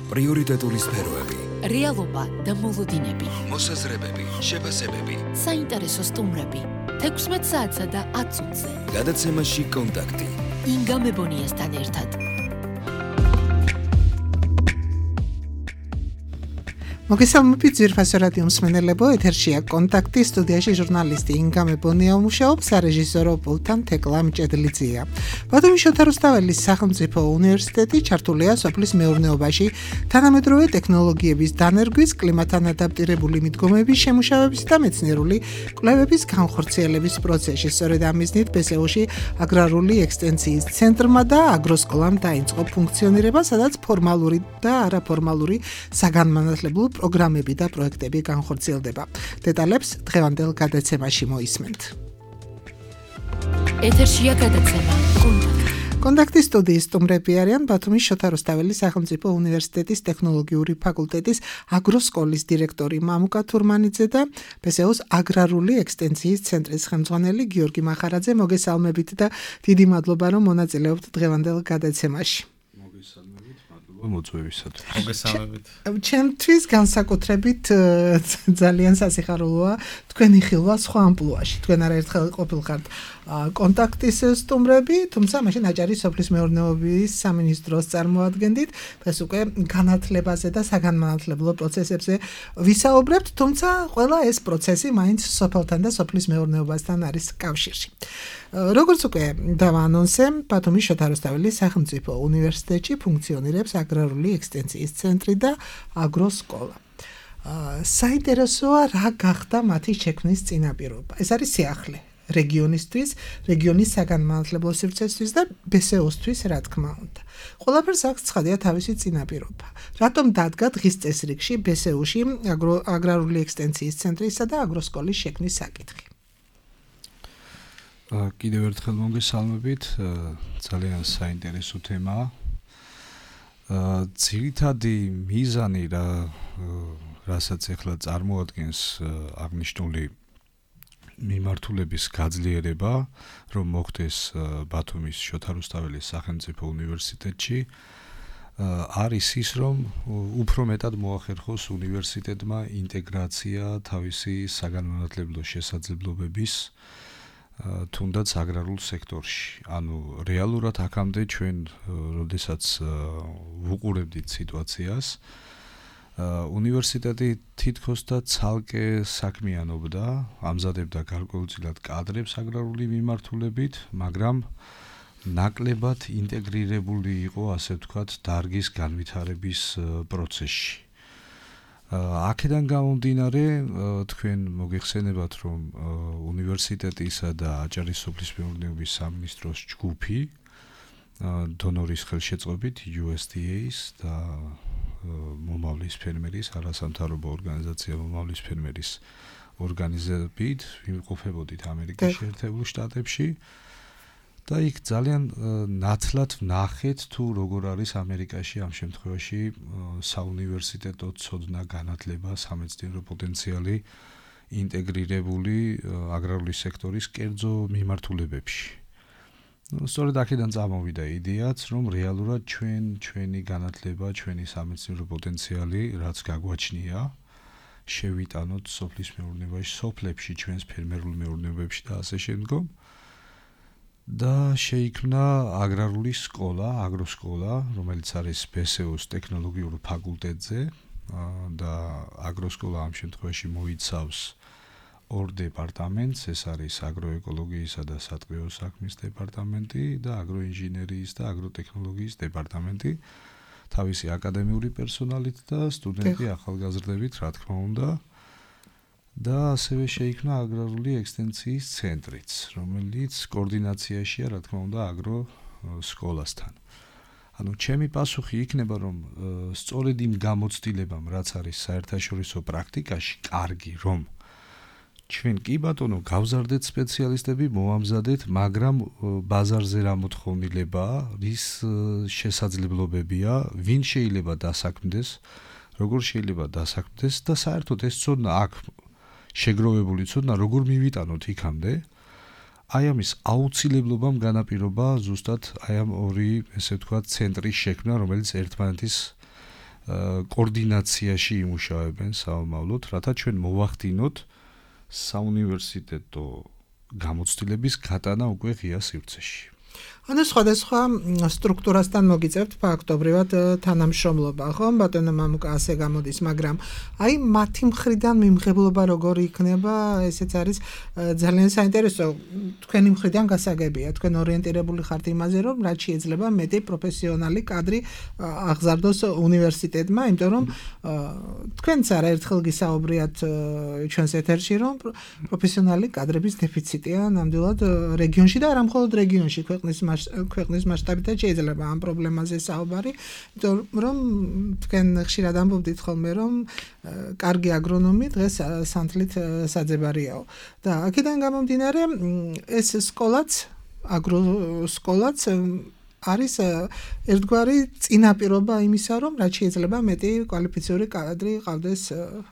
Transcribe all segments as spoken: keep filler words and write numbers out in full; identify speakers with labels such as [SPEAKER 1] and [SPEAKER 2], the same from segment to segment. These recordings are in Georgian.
[SPEAKER 1] პრიორიტეტული სფეროები,
[SPEAKER 2] რეალობა და მოლოდინები,
[SPEAKER 1] მოსაზრებები, შეფასებები,
[SPEAKER 2] საინტერესო სტუმრები, თექვსმეტ საათსა და ათ წუთზე.
[SPEAKER 1] გადაცემაში კონტაქტი.
[SPEAKER 2] ინგა მებონიასთან ერთად.
[SPEAKER 3] მოგესალმებით ძვირფასო რადიო მსმენელებო, ეთერშია კონტაქტი, სტუდიაში ჟურნალისტი ინგა მებონია მუშაობს, სარეჟისორო პულტთან თეკლა მჭედლიძეა. ბათუმის შოთა რუსთაველის სახელმწიფო უნივერსიტეტი ჩართულია სოფლის მეურნეობაში, თანამედროვე ტექნოლოგიების დანერგვის, კლიმატთან ადაპტირებული მიდგომების შემუშავების და მეცნიერული კვლევების განხორციელების პროცესში. სწორედ ამ მიზნით ბესეოში აგრარული ექსტენციის ცენტრმა და აგროსკოლამ დაიწყო ფუნქციონირება, სადაც ფორმალური და არაფორმალური საგანმანათლებლო პროგრამები და პროექტები განხორციელდება. დეტალებს დღევანდელ გადაცემაში მოისმენთ.
[SPEAKER 2] ეთერშია გადაცემა კონტაქტი.
[SPEAKER 3] კონტაქტის სტუდიის სტუმრები არიან ბათუმის შოთა რუსთაველის სახელმწიფო უნივერსიტეტის ტექნოლოგიური ფაკულტეტის აგროსკოლის დირექტორი მამუკა თურმანიძე და ბესეოს აგრარული ექსტენციის ცენტრის ხელმძღვანელი გიორგი მახარაძე. მოგესალმებით და დიდი მადლობა, რომ მონაწილეობთ დღევანდელ გადაცემაში.
[SPEAKER 4] მოწვევისად.
[SPEAKER 5] მოგესალმებით.
[SPEAKER 3] ჩემთვის განსაკუთრებით ძალიან სასიხარულოა თქვენი ხილვა სხვა ამპლუაში. თქვენ არაერთხელ ყოფილხართ კონტაქტის სტუმრები, თუმცა მაშინ აჭარის სოფლის მეურნეობის სამინისტროს წარმოადგენდით. დღეს უკვე განათლებაზე და საგანმანათლებლო პროცესებზე ვისაუბრებთ, თუმცა ყველა ეს პროცესი მაინც სოფელთან და სოფლის მეურნეობასთან არის კავშირში. როგორც უკვე დავაანონსე, ბათუმის შოთა რუსთაველის სახელმწიფო უნივერსიტეტში ფუნქციონირებს აგრარული ექსტენციის ცენტრი და აგროსკოლა. საინტერესოა, რა გახდა მათი შექმნის წინაპირობა. ეს არის სიახლე რეგიონისთვის, რეგიონის საგანმანათლებლო სივრცესთვის და ბესეოსთვის, რა თქმა უნდა. ყველაფერს აქვს ცხადია თავისი წინაპირობა. რატომ დადგა დღის წესრიგში ბესეოში აგრარული ექსტენციის ცენტრისა და აგროსკოლის შექმნის საკითხი?
[SPEAKER 4] კიდევ ერთხელ მოგესალმებით, ძალიან საინტერესო თემაა. ძირითადი მიზანი, რა რასაც ახლა წარმოადგენს აღნიშნული მიმართულების გაძლიერება, რომ მოხდეს ბათუმის შოთა რუსთაველის სახელმწიფო უნივერსიტეტში, არის ის, რომ უფრო მეტად მოახერხოს უნივერსიტეტმა ინტეგრაცია თავისი საგანმანათლებლო შესაძლებლობების თუნდაც აგრარულ სექტორში. ანუ რეალურად აქამდე ჩვენ, როდესაც ვუყურებდით სიტუაციას, უნივერსიტეტი თითქოს და ცალკე საქმიანობდა, ამზადებდა გარკვეულწილად კადრებს აგრარული მიმართულებით, მაგრამ ნაკლებად ინტეგრირებული იყო, ასე ვთქვათ, დარგის განვითარების პროცესში. აქედან გამომდინარე, თქვენ მოგეხსენებათ, რომ უნივერსიტეტისა და აჭარის სოფლის მეურნეობის სამინისტროს ჯგუფი დონორის ხელშეწყობით იუ ეს დი ეის და მომავლის ფერმერის, არასამთავრობო ორგანიზაცია მომავლის ფერმერის ორგანიზებით ვიმყოფებოდით ამერიკის შეერთებულ შტატებში და იქ ძალიან ნათლად ვნახეთ თუ როგორ არის ამერიკაში ამ შემთხვევაში საუნივერსიტეტო ცოდნა, განათლება, სამეცნიერო პოტენციალი ინტეგრირებული აგრარული სექტორის კერძო მიმართულებებში. სწორედ აქედან წამოვიდა იდეაც, რომ რეალურად ჩვენ ჩვენი განათლება, ჩვენი სამეცნიერო პოტენციალი, რაც გაგვაჩნია, შევიტანოთ სოფლის მეურნეობაში, სოფლებში, ჩვენს ფერმერულ მეურნეობებში და ასე შემდგომ. და შეიქმნა აგრარული სკოლა, აგროსკოლა, რომელიც არის ბესეოს ტექნოლოგიურ ფაკულტეტზე და აგროსკოლა ამ შემთხვევაში მოიცავს ორ დეპარტამენტს, ეს არის აგროეკოლოგიისა და სატყეო საქმის დეპარტამენტი და აგროინჟინერიის და აგროტექნოლოგიის დეპარტამენტი, თავისი აკადემიური პერსონალით და სტუდენტი ახალგაზრდებით, რა თქმა უნდა. და ასევე შეიქმნა აგრარული ექსტენციის ცენტრიც, რომელიც კოორდინაციაშია, რა თქმა უნდა, აგროსკოლასთან. ანუ ჩემი პასუხი იქნება, რომ სწორედ იმ გამოცდილებამ, რაც არის საერთაშორისო პრაქტიკაში, კარგი, რომ ჩვენ კი ბატონო გავზარდეთ სპეციალისტები, მოამზადეთ, მაგრამ ბაზარზე რა მოთხოვნილებაა, რის შესაძლებლობებია, ვინ შეიძლება დასაქმდეს, როგორ შეიძლება დასაქმდეს და საერთოდ ეს ცოდნა აქ შეგროვებული ცოდნა როგორ მივიტანოთ იქამდე, აი ამის აუცილებლობამ განაპირობა ზუსტად აი ამ ორი, ესე ვთქვათ, ცენტრის შექმნა, რომელიც ერთმანეთის კოორდინაციაში იმუშავებენ საომავლოდ, რათა ჩვენ მოვახდინოთ საუნივერსიტეტო გამოცდილების გატანა უკვე ღია სივრცეში.
[SPEAKER 3] ანუ სხვადასხვა სტრუქტურასთან მოგიწევთ ფაქტობრივად თანამშრომლობა, ხო? ბატონო მამუკა ასე გამოდის, მაგრამ აი მათი მხრიდან მიმღებლობა როგორი იქნება, ესეც არის ძალიან საინტერესო. თქვენი მხრიდან გასაგებია, თქვენ ორიენტირებული ხართ იმაზე, რომ რაც შეიძლება მეტი პროფესიონალი კადრი აღზარდოს უნივერსიტეტმა, იმიტომ რომ თქვენც არაერთხელ გისაუბრიათ ჩვენს ეთერში, რომ პროფესიონალი კადრების დეფიციტია ნამდვილად რეგიონში და არა მხოლოდ რეგიონში, ქვეყნის ქვეყნის მასშტაბით შეიძლება ამ პრობლემაზე საუბარი, იმიტომ რომ თქვენ ხშირად ამბობდით ხოლმე, რომ კარგი აგრონომი დღეს სანთლით საძებარიაო. და აქედან გამომდინარე, ეს სკოლაც, აგროსკოლაც არის ერთგვარი წინაპირობა იმისა, რომ რაც შეიძლება მეტი კვალიფიციური კადრი ყავდეს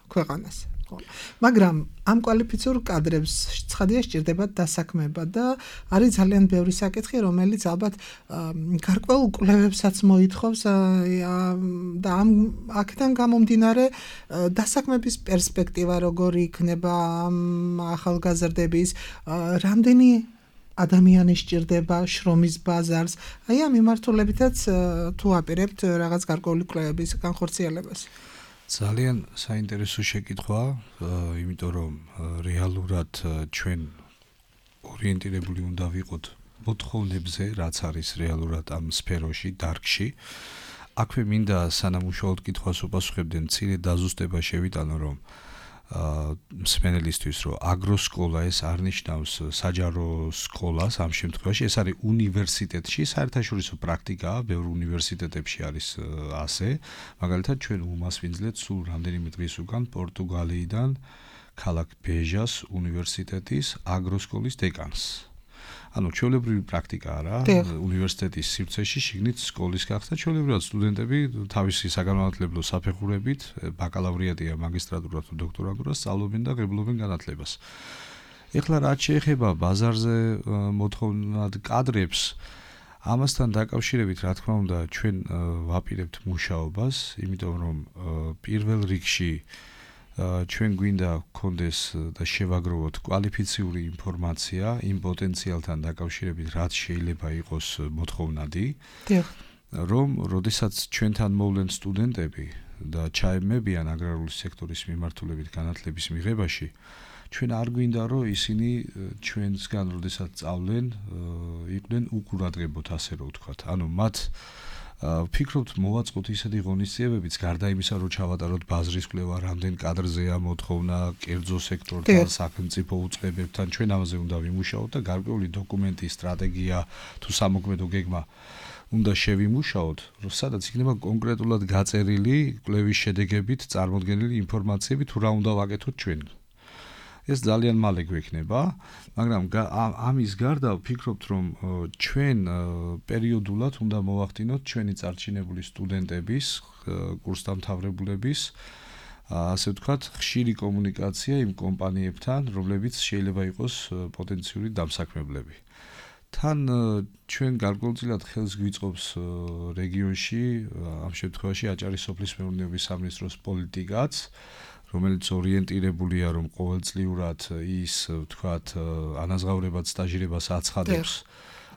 [SPEAKER 3] ქვეყანას. მაგრამ ამ კვალიფიციურ კადრებს ცხადია სჭირდებათ დასაქმება და არის ძალიან ბევრი საკითხი, რომელიც ალბათ გარკვეულ კვლევებსაც მოითხოვს და ამ აქედან გამომდინარე დასაქმების პერსპექტივა როგორი იქნება ამ ახალგაზრდების, რამდენი ადამიანი სჭირდება შრომის ბაზარს, აი ამ მიმართულებითაც თუ აპირებთ რაღაც გარკვეული კვლევების განხორციელებას.
[SPEAKER 4] ძალიან საინტერესო შეკითხვა, იმიტომ რომ რეალურად ჩვენ ორიენტირებული უნდა ვიყოთ მოთხოვნებზე, რაც არის რეალურად ამ სფეროში, დარგში. აქვე მინდა სანამ უშუალოდ კითხვას უპასუხებდნენ, მცირე დაზუსტება შევიტანო, რომ მსმენელისთვის, რომ აგროსკოლა ეს არ ნიშნავს საჯარო სკოლას ამ შემთხვევაში, ეს არის უნივერსიტეტში, საერთაშორისო პრაქტიკაა, ბევრ უნივერსიტეტებში არის ასე. მაგალითად, ჩვენ უმასპინძლეთ სულ რამდენიმე დღის უკან პორტუგალიიდან ქალაქ ბეჟას უნივერსიტეტის აგროსკოლის დეკანს. ანუ ჩვეულებრივი პრაქტიკაა რა, უნივერსიტეტის სივრცეში შიგნით სკოლის გახსნა, ჩვეულებრივად სტუდენტები თავისი საგანმანათლებლო საფეხურებით, ბაკალავრიატია, მაგისტრატურა თუ დოქტორანტურა სწავლობენ და ღებულობენ განათლებას. ეხლა რაც შეეხება ბაზარზე მოთხოვნად კადრებს, ამასთან დაკავშირებით, რა თქმა უნდა, ჩვენ ვაპირებთ მუშაობას, იმიტომ რომ პირველ რიგში ჩვენ გვინდა გქონდეს და შევაგროვოთ კვალიფიციური ინფორმაცია იმ პოტენციალთან დაკავშირებით, რაც შეიძლება იყოს მოთხოვნადი, რომ როდესაც ჩვენთან მოვლენ სტუდენტები და ჩაემებიან აგრარული სექტორის მიმართულებით განათლების მიღებაში, ჩვენ არ გვინდა, რომ ისინი ჩვენსგან როდესაც სწავლენ, იყვნენ უყურადღებოთ, ასე რომ ვთქვათ. ანუ მათ ვფიქრობთ მოვაწყოთ ისეთი ღონისძიებებიც, გარდა იმისა, რომ ჩავატაროთ ბაზრის კვლევა, რამდენ კადრზეა მოთხოვნა, კერძო სექტორთან, სახელმწიფო უწყებებთან, ჩვენ ამაზე უნდა ვიმუშაოთ და გარკვეული დოკუმენტი, სტრატეგია თუ სამოქმედო გეგმა უნდა შევიმუშაოთ, რომ სადაც იქნება კონკრეტულად გაწერილი კვლევის შედეგებით წარმოდგენილი ინფორმაციები, თუ რა უნდა ვაკეთოთ ჩვენ. ეს ძალიან მალე გვექნება, მაგრამ ამის გარდა ვფიქრობთ, რომ ჩვენ პერიოდულად უნდა მოვახდინოთ ჩვენი წარჩინებული სტუდენტების, კურსდამთავრებულების, ასე ვთქვათ, ხშირი კომუნიკაცია იმ კომპანიებთან, რომლებიც შეიძლება იყოს პოტენციური დამსაქმებლები. თან ჩვენ გარკვეულწილად ხელს გვიწყობს რეგიონში, ამ შემთხვევაში აჭარის სოფლის მეურნეობის სამინისტროს პოლიტიკაც, რომელიც ორიენტირებულია, რომ ყოველწლიურად ის, ვთქვათ, ანაზღაურებად სტაჟირებას აცხადებს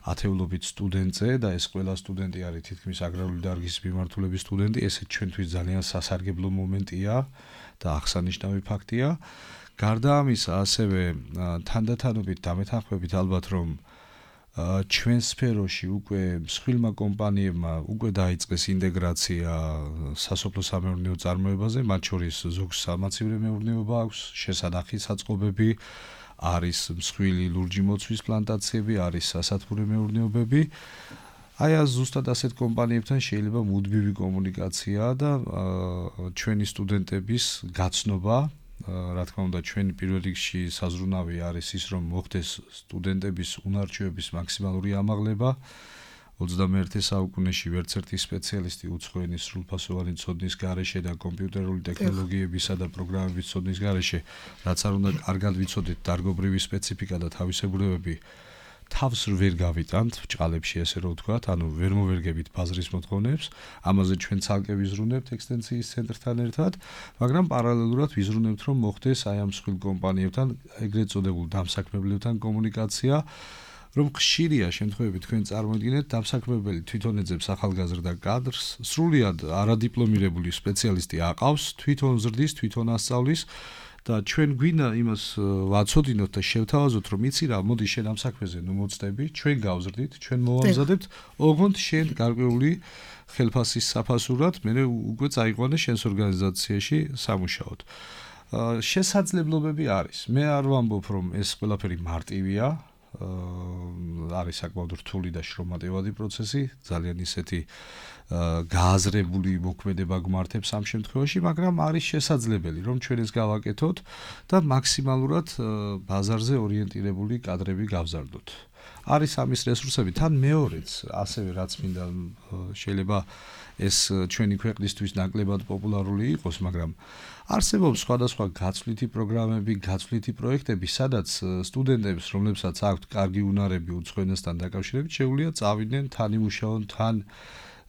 [SPEAKER 4] ათეულობით სტუდენტზე და ეს ყველა სტუდენტი არის თითქმის აგრარული დარგის მიმართულების სტუდენტი, ესე ჩვენთვის ძალიან სასარგებლო მომენტია და აღსანიშნავი ფაქტია. გარდა ამისა, ასევე თანდათანობით დამეთანხმებით ალბათ, რომ ჩვენ სფეროში უკვე მსხვილმა კომპანიებმა უკვე დაიწყეს ინტეგრაცია სასოფლო-სამეურნეო წარმოებაზე, მათ შორის ზოგს სამაცივრო მეურნეობა აქვს, შესანახი საწყობები, არის მსხვილი ლურჯი მოცვის პლანტაციები, არის სასათბურე მეურნეობები. აი ამ ზუსტად ასეთ კომპანიებთან შეიძლება მუდმივი კომუნიკაცია და ჩვენი სტუდენტების გაცნობა, რა თქმა უნდა, ჩვენი პირველ რიგში საზრუნავი არის ის, რომ მოხდეს სტუდენტების უნარჩვევების მაქსიმალური ამაღლება. ოცდამეერთე საუკუნეში ვერც ერთი სპეციალისტი უცხოენი სრულფასოვანი ცოდნის გარეშე და კომპიუტერული ტექნოლოგიებისა და პროგრამების ცოდნის გარეშე, რაც არ უნდა კარგად ვიცოდეთ დარგობრივი სპეციფიკა და თავისებურებები, თავს ვერ გავიტანთ ბჭყალებში ესე რომ ვთქვათ, ანუ ვერ მოვერგებით ბაზრის მოთხოვნებს, ამაზე ჩვენ ცალკე ვიზრუნებთ ექსტენსიის ცენტრთან ერთად, მაგრამ პარალელურად ვიზრუნებთ რომ მოხდეს აი ამ მსხვილ კომპანიებთან, ეგრეთ წოდებულ დამსაქმებლებთან კომუნიკაცია, რომ ხშირია შემთხვევები თქვენ წარმოიდგინეთ დამსაქმებელი თვითონ ეძებს ახალგაზრდა კადრს, სრულიად არადიპლომირებული სპეციალისტი აყავს, თვითონ ზრდის, თვითონ ასწავლის და ჩვენ გვინდა იმას ვაცოდინოთ და შევთავაზოთ, რომ იცი რა, მოდი შენ ამ საქმეზე ნუ მოწდები, ჩვენ გავზრდით, ჩვენ მოვამზადებთ, ოღონდ შენ გარკვეული ხელფასის საფასურად, მე უკვე წაიყვანე შენს ორგანიზაციაში სამუშაოდ. შესაძლებლობები არის. მე არ ვამბობ, რომ ეს ყველაფერი მარტივია. არის საკმაოდ რთული და შრომატევადი პროცესი, ძალიან ისეთი გააზრებული მოქმედება გვმართებს ამ შემთხვევაში, მაგრამ არის შესაძლებელი, რომ ჩვენ ეს გავაკეთოთ და მაქსიმალურად ბაზარზე ორიენტირებული კადრები გავზარდოთ. არის ამის რესურსები, თან მეორეც, ასევე რაც მინდა შეიძლება ეს ჩვენი ქვეყნისთვის ნაკლებად პოპულარული იყოს, მაგრამ არსებობს სხვადასხვა გაცვლითი პროგრამები, გაცვლითი პროექტები, სადაც სტუდენტებს, რომლებსაც აქვთ კარგი უნარები უცხოენასთან დაკავშირებით, შეუძლია წავიდნენ, თან იმუშაონ, თან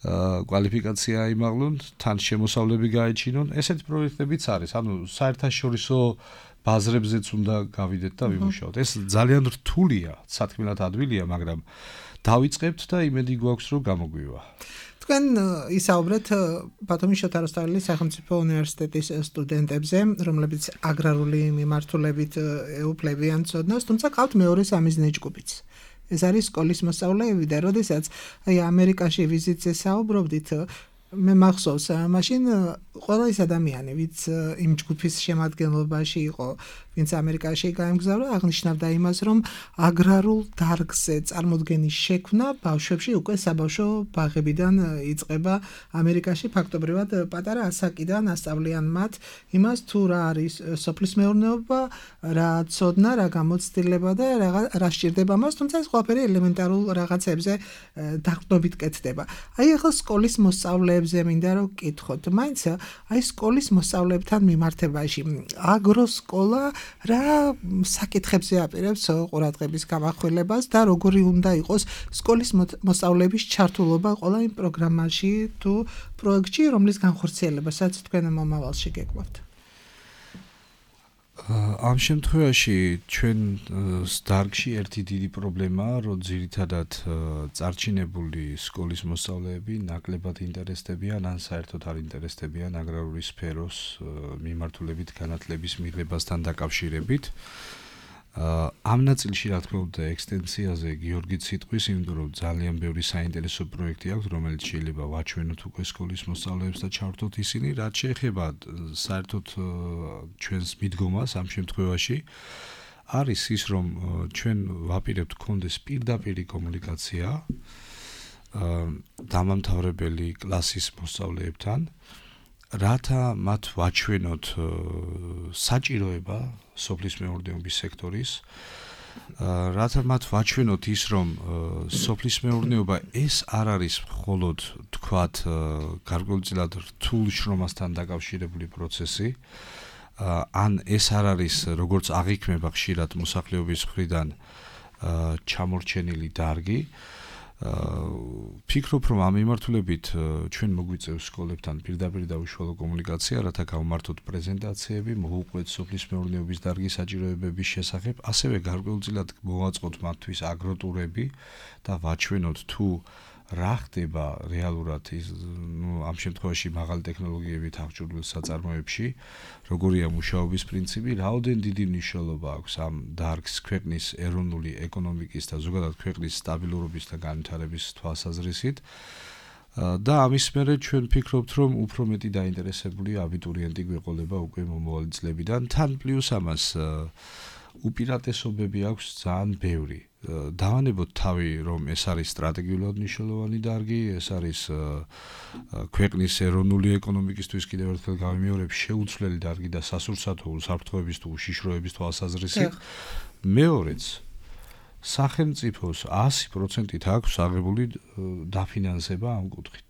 [SPEAKER 4] კვალიფიკაცია აიმაღლონ, თან შემოსავლები გაეჩინონ. ესეთი პროექტებიც არის, ანუ საერთაშორისო ბაზრებზეც უნდა გავიდეთ და ვიმუშაოთ. ეს ძალიან რთულია, სათქმელად ადვილია, მაგრამ დავიწყებთ და იმედი გვაქვს, რომ გამოგვივა.
[SPEAKER 3] თქვენ ისაუბრეთ ბათუმის შოთა რუსთაველის სახელმწიფო უნივერსიტეტის სტუდენტებზე, რომლებიც აგრარული მიმართულებით ეუფლებიან ცოდნას, თუმცა ყავთ მეორე სამიზნე ჯგუფიც. ეს არის სკოლის მოსწავლეები და როდესაც აი ამერიკაში ვიზიტზე საუბრობდით, მე მახსოვს, მაშინ ყველა ის ადამიანი, ვინც იმ ჯგუფის შემადგენლობაში იყო, ვინც ამერიკაში გაემგზავრა, აღნიშნავდა იმას, რომ აგრარულ დარგზე წარმოდგენის შექმნა ბავშვებში უკვე საბავშვო ბაღებიდან იწყება ამერიკაში, ფაქტობრივად პატარა ასაკიდან ასწავლიან მათ იმას, თუ რა არის სოფლის მეურნეობა, რა ცოდნა, რა გამოცდილება და რა სჭირდება მას, თუმცა ეს ყველაფერი ელემენტარულ რაღაცებზე დაყრდნობით კეთდება. აი ახლა სკოლის მოსწავლეებზე მინდა რომ გკითხოთ, მაინც აი სკოლის მოსწავლეებთან მიმართებაში აგროსკოლა რა საკითხებზე აპირებს ყურადღების გამახვილებას და როგორი უნდა იყოს სკოლის მოსწავლეების ჩართულობა ყველა იმ პროგრამაში თუ პროექტში, რომლის განხორციელებასაც თქვენ მომავალში გეკვლავთ.
[SPEAKER 4] ამ შემთხვევაში ჩვენ დარგში ერთი დიდი პრობლემაა, რომ ძირითადად წარჩინებული სკოლის მოსწავლეები ნაკლებად ინტერესდებიან, ან საერთოდ არ ინტერესდებიან აგრარული სფეროს მიმართულებით განათლების მიღებასთან დაკავშირებით. ამ ნაწილში რა თქმა უნდა ექსტენსიაზე გიორგიც სიტყვის, იმიტომ რომ ძალიან ბევრი საინტერესო პროექტი აქვს, რომელიც შეიძლება ვაჩვენოთ უკვე სკოლის მოსწავლეებს და ჩავთოთ ისინი, რაც შეეხება საერთოდ ჩვენს მიდგომას ამ შემთხვევაში არის ის, რომ ჩვენ ვაპირებთ გქონდეს პირდაპირი კომუნიკაცია დამამთავრებელი კლასის მოსწავლეებთან, რათა მათ ვაჩვენოთ საჭიროება სოფლის მეურნეობის სექტორის, რათა მათ ვაჩვენოთ ის, რომ სოფლის მეურნეობა ეს არ არის მხოლოდ თქვათ გარკვეულწილად რთულ შრომასთან დაკავშირებული პროცესი, ან ეს არ არის როგორც აღიქმება ხშირად მოსახლეობის მხრიდან ჩამორჩენილი დარგი. ფიქრობ, რომ ამ მიმართულებით ჩვენ მოგვიწევს სკოლებთან პირდაპირ და უშუალო კომუნიკაცია, რათა გავმართოთ პრეზენტაციები, მოვუყვეთ სოფლის მეურნეობის დარგის საჭიროებების შესახებ, ასევე გარკვეულწილად მოვაწყოთ მათთვის აგროტურები და ვაჩვენოთ თუ რა ხდება რეალურად ნუ ამ შემთხვევაში მაღალი ტექნოლოგიებით აღჭურვილ საწარმოებში, როგორია მუშაობის პრინციპი, რაოდენ დიდი მნიშვნელობა აქვს ამ დარგს ქვეყნის ეროვნული ეკონომიკის და ზოგადად ქვეყნის სტაბილურობის და განვითარების თვალსაზრისით. და ამის მერე ჩვენ ფიქრობთ, რომ უფრო მეტი დაინტერესებული აბიტურიენტი გვეყოლება უკვე მომავალი წლებიდან, თან პლუს ამას უპირატესობები აქვს ძალიან ბევრი. დავანებოთ თავი, რომ ეს არის სტრატეგიულად მნიშვნელოვანი დარგი, ეს არის ქვეყნის ეროვნული ეკონომიკისთვის კიდევ ერთხელ გავიმეორებ შეუცვლელი დარგი და სასურსათო უსაფრთხოების თუ უშიშროების თვალსაზრისით. მეორეც, სახელმწიფოს ასი პროცენტით აქვს აღებული დაფინანსება ამ კუთხით.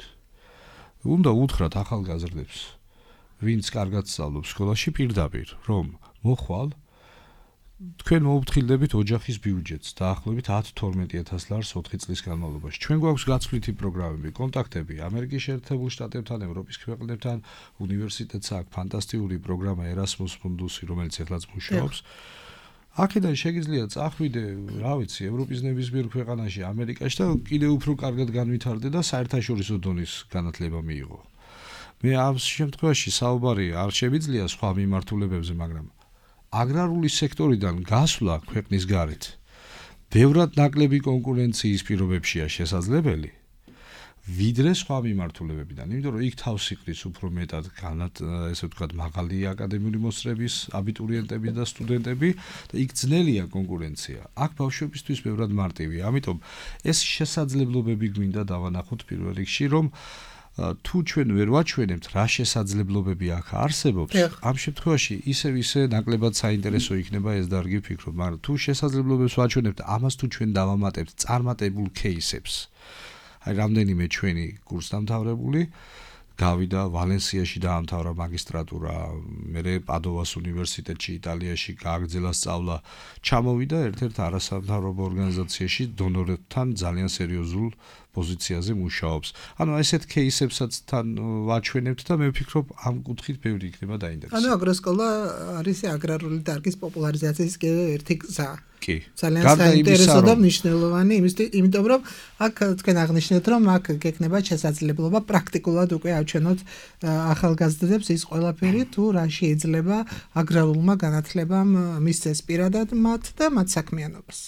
[SPEAKER 4] უნდა უთხრათ ახალგაზრდებს, ვინც კარგად სწავლობს სკოლაში პირდაპირ, რომ მოხვალ თქვენ მოუფრთხილდებით ოჯახის ბიუჯეტს დაახლოებით ათი თორმეტი ათას ლარს ოთხი წლის განმავლობაში. ჩვენ გვაქვს გაცვლითი პროგრამები, კონტაქტები ამერიკის შეერთებულ შტატებთან, ევროპის ქვეყნებთან, უნივერსიტეტს აქვს ფანტასტიკური პროგრამა Erasmus Mundus-ი, რომელიც ეხლაც მუშაობს. აქედან შეგიძლია წახვიდე, რა ვიცი, ევროპის ნებისმიერ ქვეყანაში, ამერიკაში და კიდევ უფრო კარგად განვითარდე და საერთაშორისო დონის განათლება მიიღო. მე ამ შემთხვევაში საუბარი არ შემიძლია სხვა მიმართულებებზე, მაგრამ აგრარული სექტორიდან გასვლა ქვეყნის გარეთ ბევრად ნაკლები კონკურენციის პირობებშია შესაძლებელი, ვიდრე სხვა მიმართულებებიდან, იმიტომ რომ იქ თავს იყრის უფრო მეტად განათ, ესე ვთქვათ, მაღალი აკადემიური მოსწრების აბიტურიენტები და სტუდენტები და იქ ძნელია კონკურენცია. აქ ბავშვებისთვის ბევრად მარტივია, ამიტომ ეს შესაძლებლობები გვინდა დავანახოთ პირველ რიგში, რომ თუ ჩვენ ვერ ვაჩვენებთ რა შესაძლებლობები აქ არსებობს, ამ შემთხვევაში ისევ ისე ნაკლებად საინტერესო იქნება ეს დარგი ვფიქრობ, მაგრამ თუ შესაძლებლობებს ვაჩვენებთ, ამას თუ ჩვენ დავამატებთ წარმატებულ кейსებს. აი რამდენიმე ჩვენი კურსდამთავრებული გავიდა ვალენსიაში დაამთავრა მაგისტრატურა, მერე პადოვას უნივერსიტეტში იტალიაში გააგრძელა სწავლა, ჩამოვიდა ერთ-ერთ არასამთავრობო ორგანიზაციაში დონორებთან ძალიან სერიოზულ პოზიციაზე მუშაობს. ანუ ესეთ кейსებსაც თან ვაჩვენებთ და მე ვფიქრობ ამ კუთხით ბევრი იქნება დაინტერესებული.
[SPEAKER 3] ანუ აგროსკოლა არის აგრარული დარგის პოპულარიზაციის ერთი გზა.
[SPEAKER 4] კი.
[SPEAKER 3] ძალიან საინტერესო და მნიშვნელოვანი, იმიტომ რომ აქ თქვენ აღნიშნეთ, რომ აქ გექნება შესაძლებლობა პრაქტიკულად უკვე აჩვენოთ ახალგაზრდებს ის ყველაფერი, თუ რა შეიძლება აგრარულმა განათლებამ მისცეს პირადად მათ და მათ საქმიანობას.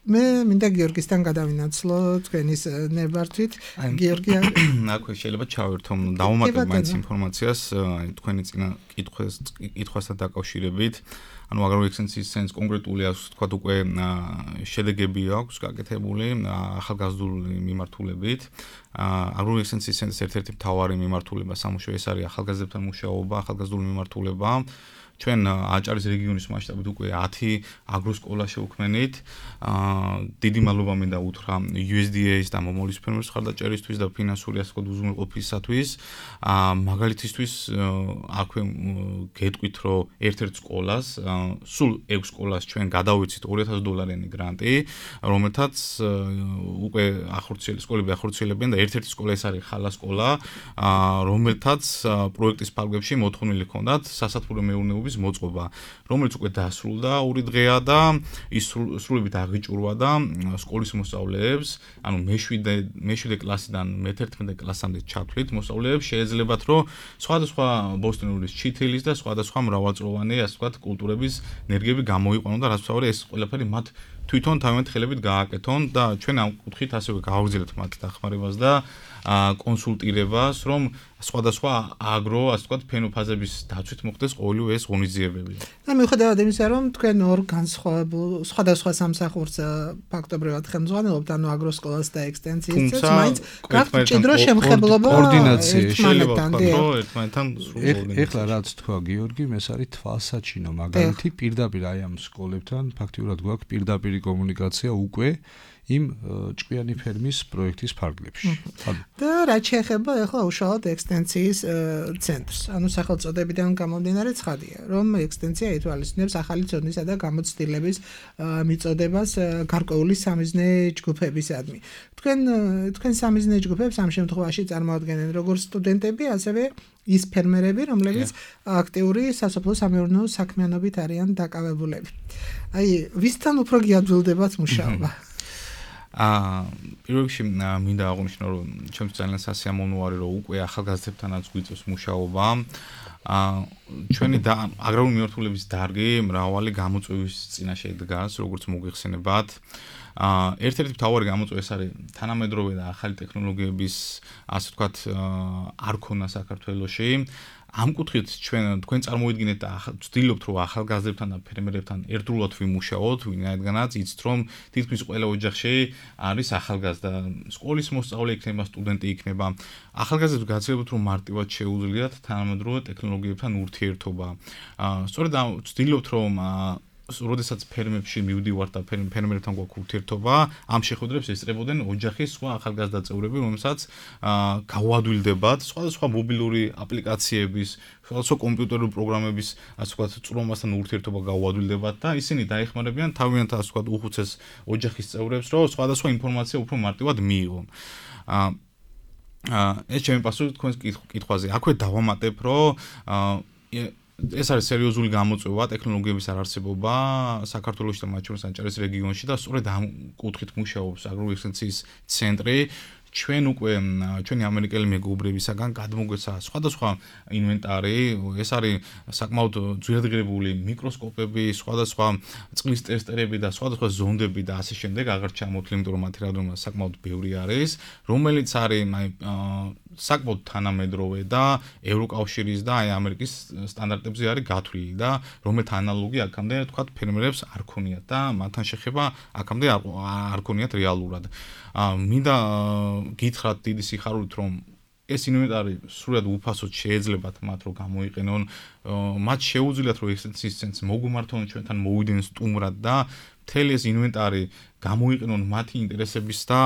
[SPEAKER 3] მე მინდა გიორგისთან გადავინაცვლო თქვენის ნებართვით. გიორგი,
[SPEAKER 5] აქვე შეიძლება ჩავერთო, დავუმატებ მაინც ინფორმაციას, აი თქვენი წინა კითხვას კითხვასთან დაკავშირებით. ანუ აგრარული ექსტენსიის ცენტრს კონკრეტული აქვს, თქვა უკვე შედეგები აქვს გაკეთებული ახალგაზრდული მიმართულებით. აგრარული ექსტენსიის ცენტრის ერთ-ერთი მთავარი მიმართულება სამუშაო ეს არის ახალგაზრდებთან მუშაობა, ახალგაზრდული მიმართულება. ჩვენ აჭარის რეგიონის მასშტაბით უკვე ათი აგროსკოლა შევქმნით. დიდი მადლობა მინდა უთხრა იუ ეს დი ეის და მომავლის ფერმერების მხარდაჭერისთვის და ფინანსური ასე ვთქვათ უზრუნველყოფისათვის. მაგალითისთვის აქვე გეტყვით, რომ ერთ-ერთ სკოლას, სულ ექვს სკოლას ჩვენ გადავიცით ორი ათასი დოლარიანი გრანტი, რომელთაც უკვე ახორციელებს, სკოლები ახორციელებენ და ერთ-ერთი სკოლა ეს არის ხალა სკოლა, რომელთაც პროექტის ფარგლებში მოთხოვნილი ჰქონდათ სასათბურო მეურნეობის მოწყობა, რომელიც უკვე დასრულდა ორი დღეა და ის სრულებით აღიჭურვა და სკოლის მოსწავლეებს, ანუ მეშვიდე მეშვიდე კლასიდან მეთერთმეტე კლასამდე ჩათვლით მოსწავლეებს შეეძლებათ, რომ სხვადასხვა ბოსტონური ჩითილის და სხვადასხვა მრავალწლოვანი, ასე ვთქვათ, კულტურების ენერგიები გამოიყვანონ და რაც ვთქვათ, ეს ყველაფერი მათ თვითონ თავიანთი ხელებით გააკეთონ და ჩვენ ამ კუთხით ასევე გავაგრძელებთ მათ დახმარებას და კონსულტირებას, რომ სხვადასხვა აგრო, ასე ვთქვათ, ფენოფაზების დაცვით მოხდეს ყოველივე ეს ღონისძიებები.
[SPEAKER 3] და მიუხედავად იმისა, რომ თქვენ ორ განსხვავებულ სხვადასხვა სამსახურს ფაქტობრივად ხელმძღვანელობთ, ანუ აგროსკოლას და ექსტენსიას, მაინც გაქვთ მჭიდრო შემხებლობა
[SPEAKER 4] კოორდინაცია
[SPEAKER 5] შეიძლება ვთქვათ, რომ ერთმანეთთან სრულყოფილი.
[SPEAKER 4] ეხლა რაც თქვა გიორგი, ეს არის თვალსაჩინო მაგალითი პირდაპირ აი ამ სკოლებთან ფაქტიურად გვაქვს პირდაპირი კომუნიკაცია უკვე იმ ჭკვიანი ფერმის პროექტის ფარგლებში.
[SPEAKER 3] და რაც შეეხება ახლა უშუალოდ ექსტენსიის ცენტრს, ანუ სახელწოდებიდან გამომდინარე ცხადია, რომ ექსტენსია ითვალისწინებს ახალი ცოდნისა და გამოცდილების მიწოდებას გარკვეული სამიზნე ჯგუფებისადმი. თქვენ თქვენ სამიზნე ჯგუფებს ამ შემთხვევაში წარმოადგენენ როგორც სტუდენტები, ასევე ის ფერმერები, რომლებიც აქტიური სასოფლო სამეურნეო საქმიანობით არიან დაკავებულები. აი, ვისთან უფრო გიადვილდებათ მუშაობა?
[SPEAKER 5] აა პირველ რიგში მინდა აღვნიშნო, რომ ჩემთვის ძალიან სასიამოვნო არის, რომ უკვე ახალგაზრდებთანაც გვიწევს მუშაობა. აა ჩვენი აგრარული მიმართულების დარგი მრავალი გამოწვევის წინაშე დგას, როგორც მოგიხსენებათ. აა ერთ-ერთი მთავარი გამოწვევა ეს არის თანამედროვე და ახალი ტექნოლოგიების, ასე ვთქვათ, არ ქონა საქართველოში. ამ კუთხით ჩვენ თქვენ წარმოიდგინეთ და ვცდილობთ, რომ ახალგაზრდებთან და ფერმერებთან ერთდროულად ვიმუშაოთ, ვინაიდანაც იცით, რომ თითქმის ყველა ოჯახში არის ახალგაზრდა, სკოლის მოსწავლე იქნება, სტუდენტი იქნება. ახალგაზრდებს გაცნობთ, რომ მარტივად შეუძლიათ თანამედროვე ტექნოლოგიებთან ურთიერთობა. სწორედ ვცდილობთ, რომ როდესაც ფერმებში მივდივართ და ფერმერებთან გვაქვს ურთიერთობა, ამ შეხვედრებს ესწრებოდნენ ოჯახის სხვა ახალგაზრდა წევრები, რომელსაც გაუადვილდებათ სხვადასხვა მობილური აპლიკაციების, სხვადასხვა კომპიუტერული პროგრამების, ასე ვთქვათ, წვრომასთან ურთიერთობა გაუადვილდებათ და ისინი დაეხმარებიან თავიანთ, ასე ვთქვათ, უხუცეს ოჯახის წევრებს, რომ სხვადასხვა ინფორმაცია უფრო მარტივად მიიღონ. ეს ჩემი პასუხი თქვენს კითხვაზე. აქვე დავამატებ, რომ ეს არის სერიოზული გამოწვევა ტექნოლოგიების არარსებობა საქართველოში და მათ შორის აჭარის რეგიონში და სწორედ ამ კუთხით მუშაობს აგროექსტენციის ცენტრი. ჩვენ უკვე ჩვენი ამერიკელი მეგობრებისაგან გადმოგვეცა სხვადასხვა ინვენტარი, ეს არის საკმაოდ ძვირადღირებული მიკროსკოპები, სხვადასხვა წყლის ტესტერები და სხვადასხვა ზონდები და ასე შემდეგ, აღარ ჩამოთვლი, იმიტომ რომ მათი რაოდენობა საკმაოდ ბევრი არის, რომელიც არის აი საკმაოდ თანამედროვე და ევროკავშირის და აი ამერიკის სტანდარტებზე არის გათვლილი და რომელთა ანალოგი აქამდე თქვათ ფერმერებს არ ქონიათ და მათთან შეხება აქამდე არ ქონიათ რეალურად. მინდა გითხრათ დიდი სიხარულით, რომ ეს ინვენტარი სრულად უფასოდ შეეძლებათ მათ რომ გამოიყენონ, მათ შეუძლიათ რომ ექსტენციის ცენტრს მოგვიმართონ ჩვენთან მოვიდნენ სტუმრად და მთელი ეს ინვენტარი გამოიყენონ მათი ინტერესების და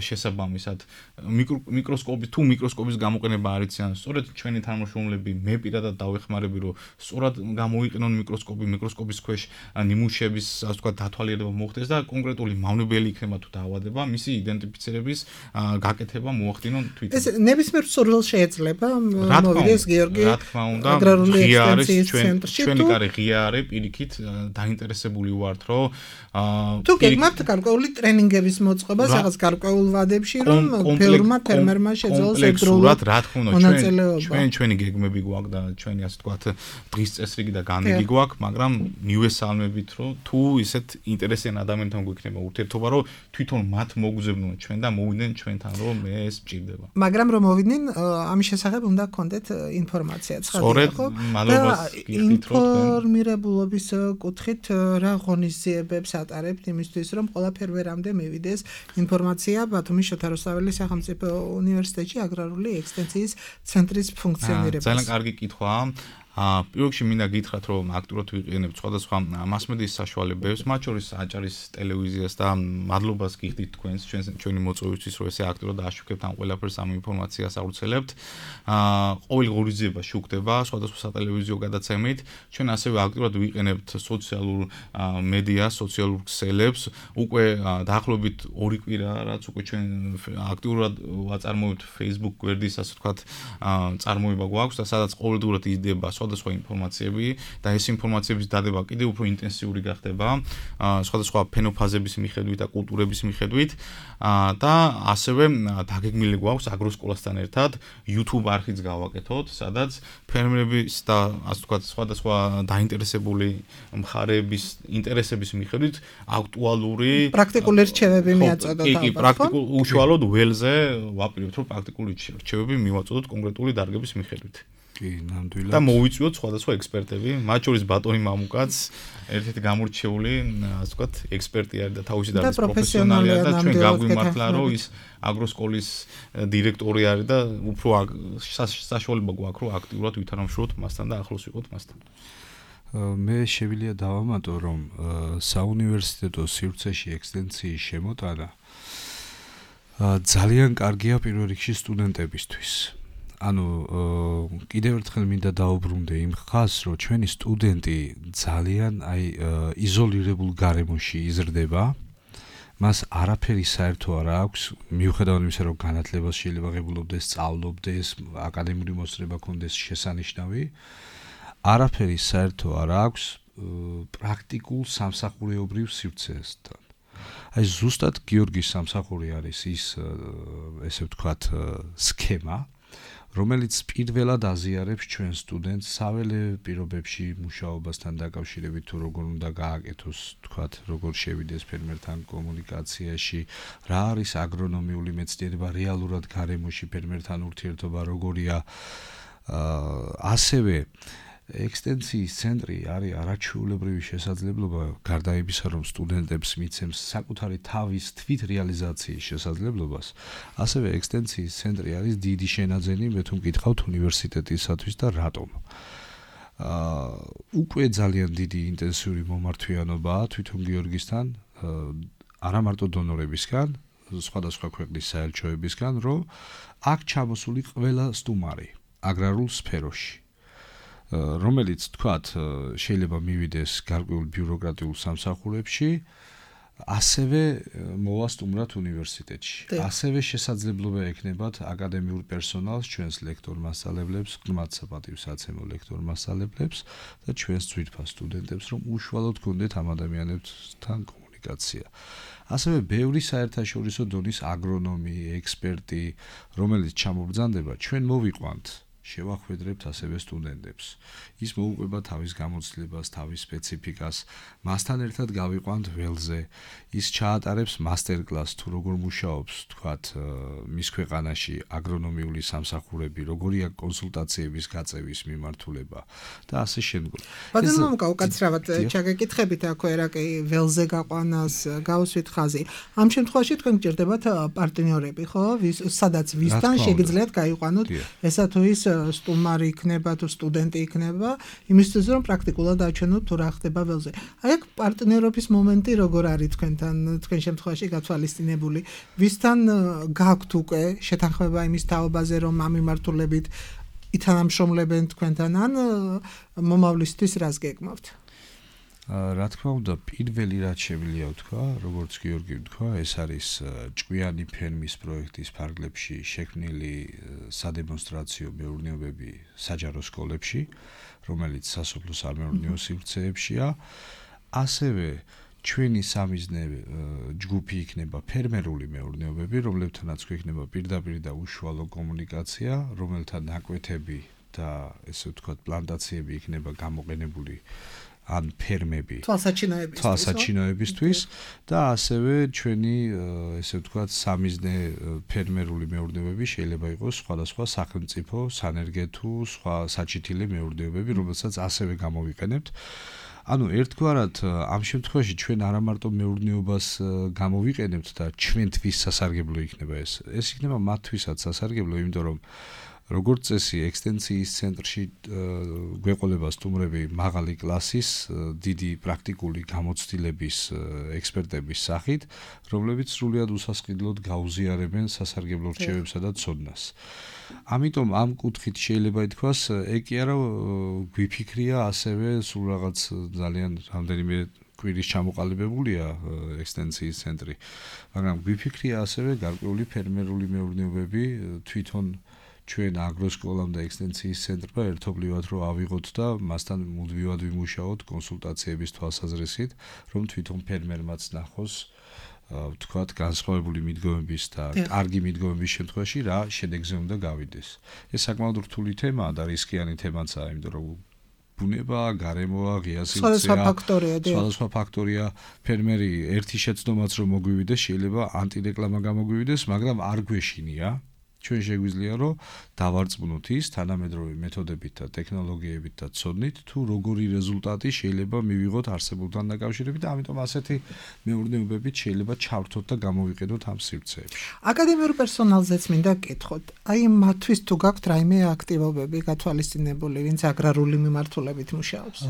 [SPEAKER 5] შესაბამისად მიკროსკოპის თუ მიკროსკოპის გამოყენება არ იციან სწორედ ჩვენი თანამშრომლები მე პირადად დავეხმარები რომ სწორად გამოიყენონ მიკროსკოპი მიკროსკოპის ქვეშ ნიმუშების ასე ვთქვათ დათვალიერება მოხდეს და კონკრეტული მავნებელი იქნება თუ დაავადება მისი იდენტიფიცირების გაკეთება მოახდინონ თვითონ
[SPEAKER 3] ეს ნებისმიერ სურვილს შეიძლება მოვიდეს გიორგი
[SPEAKER 5] რა თქმა უნდა ღია არის ჩვენ ჩვენი კარი ღია არის პირიქით დაინტერესებული ვართ რომ
[SPEAKER 3] თუ გეგმავთ გარკვეული ტრენინგების მოწყობა რაღაც გარკვეულ ვადებში რომ ფერმა ფერმერმა შეძლოს
[SPEAKER 5] ეგრეულად რა თქმა უნდა ჩვენ ჩვენ ჩვენი გეგმები გვაქვს და ჩვენი ასე ვთქვათ დღის წესრიგი და განრიგი გვაქვს მაგრამ მივესალმებით რომ თუ ისეთ ინტერესიან ადამიანთან გვექნება ურთიერთობა რომ თვითონ მათ მოგზავნონ ჩვენ და მოვიდნენ ჩვენთან რომ ეს მჭირდება
[SPEAKER 3] მაგრამ რომ მოვიდნენ ამის შესახებ უნდა გქონდეთ ინფორმაცია
[SPEAKER 5] სწორედ მადლობას გიხდით რომ
[SPEAKER 3] ინფორმირებულობის კუთხით რა ღონისძიებებს ატარებთ იმისთვის რომ ყველა ფერმერამდე მივიდეს ინფორმაცია ბათუმის შოთა რუსთაველის სახელმწიფო უნივერსიტეტში აგრარული ექსტენციის ცენტრის ფუნქციონირებას.
[SPEAKER 5] ძალიან კარგი კითხვაა. პირველ რიგში მინდა გითხრათ რომ აქტიურად ვიყენებთ სხვადასხვა მასმედიის საშუალებებს, მათ შორის აჭარის ტელევიზიას და მადლობას გიხდით თქვენს ჩვენი მოწვევისთვის რომ ესე აქტიურად აშუქებთ ამ ყველაფერს ამ ინფორმაციას ავრცელებთ. ყოველ ღონისძიება შუქდება სხვადასხვა სატელევიზიო გადაცემით. ჩვენ ასევე აქტიურად ვიყენებთ სოციალურ მედიას, სოციალურ ქსელებს. უკვე დაახლოებით ორი კვირა რაც უკვე ჩვენ აქტიურად ვაწარმოებთ Facebook გვერდის ასე ვთქვათ წარმოება გვაქვს და სადაც ყოველდღურად იზრდება სხვადასხვა ინფორმაციები და ეს ინფორმაციების დადება კიდევ უფრო ინტენსიური გახდება სხვადასხვა ფენოფაზების მიხედვით და კულტურების მიხედვით და ასევე დაგეგმილი გვაქვს აგროსკოლასთან ერთად YouTube არხიც გავაკეთოთ, სადაც ფერმერების და ასე ვთქვათ სხვადასხვა დაინტერესებული მხარეების ინტერესების მიხედვით აქტუალური
[SPEAKER 3] პრაქტიკული რჩევები მიაწოდოთ
[SPEAKER 5] ალბათ. კი, პრაქტიკულ უშუალოდ ველზე ვაპირებთ რომ პრაქტიკული რჩევები მივაწოდოთ კონკრეტული დარგების მიხედვით.
[SPEAKER 4] კი, ნამდვილად.
[SPEAKER 5] და მოვიწვიოთ სხვადასხვა ექსპერტები, მათ შორის ბატონი მამუკაც, ერთ-ერთი გამორჩეული, ასე ვთქვათ, ექსპერტი არის და თავისი დარგის პროფესიონალია და ჩვენ გაგვიმართლა, რომ ის აგროსკოლის დირექტორი არის და უფრო საშუალება გვაქვს, რომ აქტიურად ვითანამშრომლოთ მასთან და ახლოს ვიყოთ მასთან.
[SPEAKER 4] მე შეგვიძლია დავამატო, რომ საუნივერსიტეტო სივრცეში ექსტენციის შემოტანა ძალიან კარგია პირველ რიგში სტუდენტებისთვის. ანუ კიდევ ერთხელ მინდა დაუბრუნდე იმ ხაზს, რომ ჩვენი სტუდენტი ძალიან აი იზოლირებულ გარემოში იზრდება. მას არაფერი საერთო არ აქვს, მიუხედავად იმისა, რომ განათლებას შეიძლება ღებულობდეს, სწავლობდეს, აკადემიური მოსწრება ქონდეს შესანიშნავი. არაფერი საერთო არ აქვს პრაქტიკულ სამსახურეობრივ სივრცესთან. აი ზუსტად გიორგის სამსახური არის ის ესე ვთქვათ სქემა რომელიც პირველად აზიარებს ჩვენ სტუდენტს საველე პირობებში მუშაობასთან დაკავშირებით თუ როგორ უნდა გააკეთოს, თქვათ, როგორ შევიდეს ფერმერთან კომუნიკაციაში, რა არის აგრონომიული მეცნიერება რეალურად გარემოში ფერმერთან ურთიერთობა როგორია. ასევე ექსტენციის ცენტრი არის არაჩვეულებრივი შესაძლებლობა გარდა იმისა, რომ სტუდენტებს მიცემს საკუთარი თავის თვით რეალიზაციის შესაძლებლობას, ასევე ექსტენციის ცენტრი არის დიდი შენაძენი, მე თუ მკითხავთ უნივერსიტეტისათვის და რატომ. აა უკვე ძალიან დიდი ინტენსიური მომართვიანობაა თვითონ გიორგისთან, არა მარტო დონორებისგან, სხვადასხვა ქვეყნის საელჩოებისგან, რომ აქ ჩამოსული ყველა სტუმარი აგრარულ სფეროში, რომელიც თქვათ შეიძლება მივიდეს გარკვეულ ბიუროკრატიულ სამსახურებში, ასევე მოვა სტუმრად უნივერსიტეტში. ასევე შესაძლებლობა ექნებათ აკადემიურ პერსონალს, ჩვენს ლექტორ-მასწავლებლებს, ღრმად საპატივსაცემო ლექტორ-მასწავლებლებს და ჩვენს ძვირფას სტუდენტებს, რომ უშუალოდ გქონდეთ ამ ადამიანებთან კომუნიკაცია. ასევე ბევრი საერთაშორისო დონის აგრონომი, ექსპერტი, რომელიც ჩამობრძანდება, ჩვენ მოვიყვანთ, შევახვედრებთ ასევე სტუდენტებს. ის მოუყვება თავის გამოცდილებას, თავის სპეციფიკას, მასთან ერთად გავიყვანთ ველზე. ის ჩაატარებს მასტერკლასს თუ როგორ მუშაობს, თქვათ, მის ქვეყანაში აგრონომიული სამსახურები, როგორია კონსულტაციების გაწევის მიმართულება და ასე შემდგომ.
[SPEAKER 3] ბატონო მომკა უკაცრავად ჩაგეკითხებით აქვე რა კი ველზე გაყვანას გავუსვით ხაზი. ამ შემთხვევაში თქვენ გჭირდებათ პარტნიორები, ხო? სადაც ვისთან შეგიძლიათ გაიყვანოთ ესა თუ ის სტუმარი იქნება თუ სტუდენტი იქნება, იმისთვის რომ პრაქტიკულად აჩვენოთ თუ რა ხდება ველზე. აი აქ პარტნიორობის მომენტი როგორ არის თქვენთან, თქვენ შემთხვევაში გათვალისწინებული? ვისთან გაქვთ უკვე შეთანხმება იმის თაობაზე, რომ ამ მიმართულებით ითანამშრომლებენ თქვენთან ან მომავლისთვის რას გეკმავთ?
[SPEAKER 4] რა თქმა უნდა, პირველი რაც შეგვიძლია ვთქვა, როგორც გიორგი ვთქვა, ეს არის ჭკვიანი ფერმის პროექტის ფარგლებში შექმნილი სადემონსტრაციო მეურნეობები საჯარო სკოლებში, რომელიც სასოფლო-სამეურნეო სივრცეებშია. ასევე ჩვენი სამიზნე ჯგუფი იქნება ფერმერული მეურნეობები, რომლებთანაც გვექნება პირდაპირ და უშუალო კომუნიკაცია, რომელთა ნაკვეთები და ესე ვთქვათ, პლანტაციები იქნება გამოყენებული ან ფერმები
[SPEAKER 3] თვალსაჩინოებისთვის
[SPEAKER 4] თვალსაჩინოებისთვის და ასევე ჩვენი ესე ვთქვათ სამიზნე ფერმერული მეურნეობები შეიძლება იყოს სხვადასხვა სახელმწიფო სანერგეთუ სხვა საჩითილი მეურნეობები, რომელსაც ასევე გამოვიყენებთ. ანუ ერთგვარად ამ შემთხვევაში ჩვენ არა მარტო მეურნეობას გამოვიყენებთ და ჩვენთვის სასარგებლო იქნება ეს. ეს იქნება მათთვისაც სასარგებლო, იმიტომ რომ როგორც წესი ექსტენსიის ცენტრში გვეყოლება სტუმრები მაღალი კლასის, დიდი პრაქტიკული გამოცდილების ექსპერტების სახით, რომლებიც სრულიად უსასყიდლოდ გაუზიარებენ სასარგებლო რჩევებსა და ცოდნას. ამიტომ ამ კუთხით შეიძლება ითქვას, ეკი არა გვიფიქრია ასევე სულ რაღაც ძალიან რამდენიმე კვირის ჩამოყალიბებულია ექსტენსიის ცენტრი, მაგრამ გვიფიქრია ასევე გარკვეული ფერმერული მეურნეობები თვითონ ჩვენ აგროსკოლამ და ექსტენსიის ცენტრმა ერთობლივად რომ ავიღოთ და მასთან მუდმივად ვიმუშაოთ კონსულტაციების თვალსაზრისით, რომ თვითონ ფერმერმაც ნახოს ვთქვათ განსხვავებული მიდგომების და კარგი მიდგომების შემთხვევაში რა შედეგზე უნდა გავიდეს. ეს sakmαოდ რთული თემაა და რისკიანი თემაცაა, იმიტომ რომ ბუნება, გარემოა, ღია სივრცეა,
[SPEAKER 3] სხვადასხვა ფაქტორია,
[SPEAKER 4] სხვადასხვა ფაქტორია. ფერმერი ერთი შეცდომაც რომ მოგვივიდეს, შეიძლება ანტირეკლამა გამოგვივიდეს, მაგრამ არ გვეშინია. ჩვენ შეგვიძლია რომ დავარწმუნოთ ის თანამედროვე მეთოდებით და ტექნოლოგიებით და ცოდნით, თუ როგორი რეზულტატი შეიძლება მივიღოთ არსებულთან დაკავშირებით და ამიტომ ასეთი მეურნეობებით შეიძლება ჩავრთოთ და გამოვიყენოთ ამ სივრცეებში.
[SPEAKER 3] აკადემიურ პერსონალზეც მინდა გკითხოთ. აი მათთვის თუ გაქვთ რაიმე აქტივობები გათვალისწინებული, ვინც აგრარული მიმართულებით მუშაობს?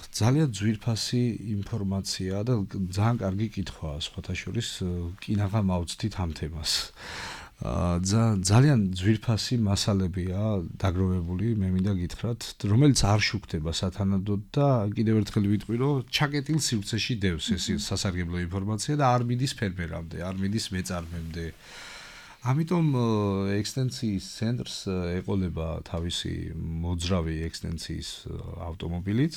[SPEAKER 4] ძალიან ძვირფასი ინფორმაცია და ძალიან კარგი კითხვაა, სხვათა შორის კინაღა მავცდით ამ თემას. ძალიან ძვირფასი მასალებია დაგროვებული, მე მინდა გითხრათ, რომელიც არ შუქდება სათანადოდ და კიდევ ერთხელ ვიტყვი, რომ ჩაკეტილ სივრცეში დევს ეს სასარგებლო ინფორმაცია და არ მიდის ფერმერამდე, არ მიდის მეწარმემდე. ამიტომ ექსტენსიის ცენტრს ეყოლება თავისი მოძრავი ექსტენსიის ავტომობილიც,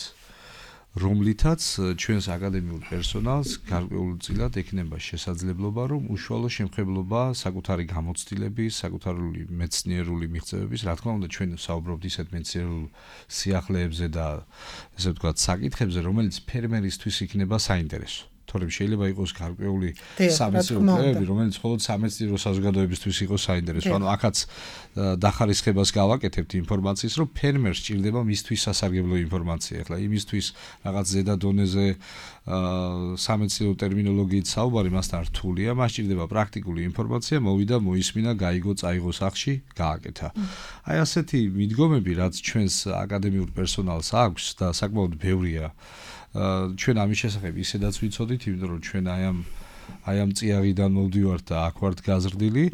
[SPEAKER 4] რომლითაც ჩვენს აკადემიურ პერსონალს გარკვეულწილად ექნება შესაძლებლობა, რომ უშუალო შემხებლობა საკუთარი გამოცდილების, საკუთარი მეცნიერული მიღწევების, რა თქმა უნდა, ჩვენ საუბრობთ ისეთ მეცნიერულ სიახლეებზე და ესე ვთქვათ, საკითხებზე, რომელიც ფერმერისთვის იქნება საინტერესო. თორემ შეიძლება იყოს გარკვეული სამეცნიერო კვლევები, რომელიც მხოლოდ სამეცნიერო საზოგადოებისთვის იყოს საინტერესო. ანუ აქაც დახარისხებას გავაკეთებთ ინფორმაციის, რომ ფერმერს სჭირდება მისთვის სასარგებლო ინფორმაცია. ახლა იმისთვის რაღაც ზედა დონეზე სამეცნიერო ტერმინოლოგიით საუბარი მასთან რთულია, მას სჭირდება პრაქტიკული ინფორმაცია, მოვიდა, მოისმინა, გაიგო, წაიღო სახში, გააკეთა. აი ასეთი მიდგომები, რაც ჩვენს აკადემიურ პერსონალს აქვს და საკმაოდ ბევრია. ჩვენ ამის შესახებ ისედაც ვიცოდით, იმიტომ რომ ჩვენ აი ამ აი ამ წიაღიდან მოვდივართ და აქ ვართ გაზრდილი,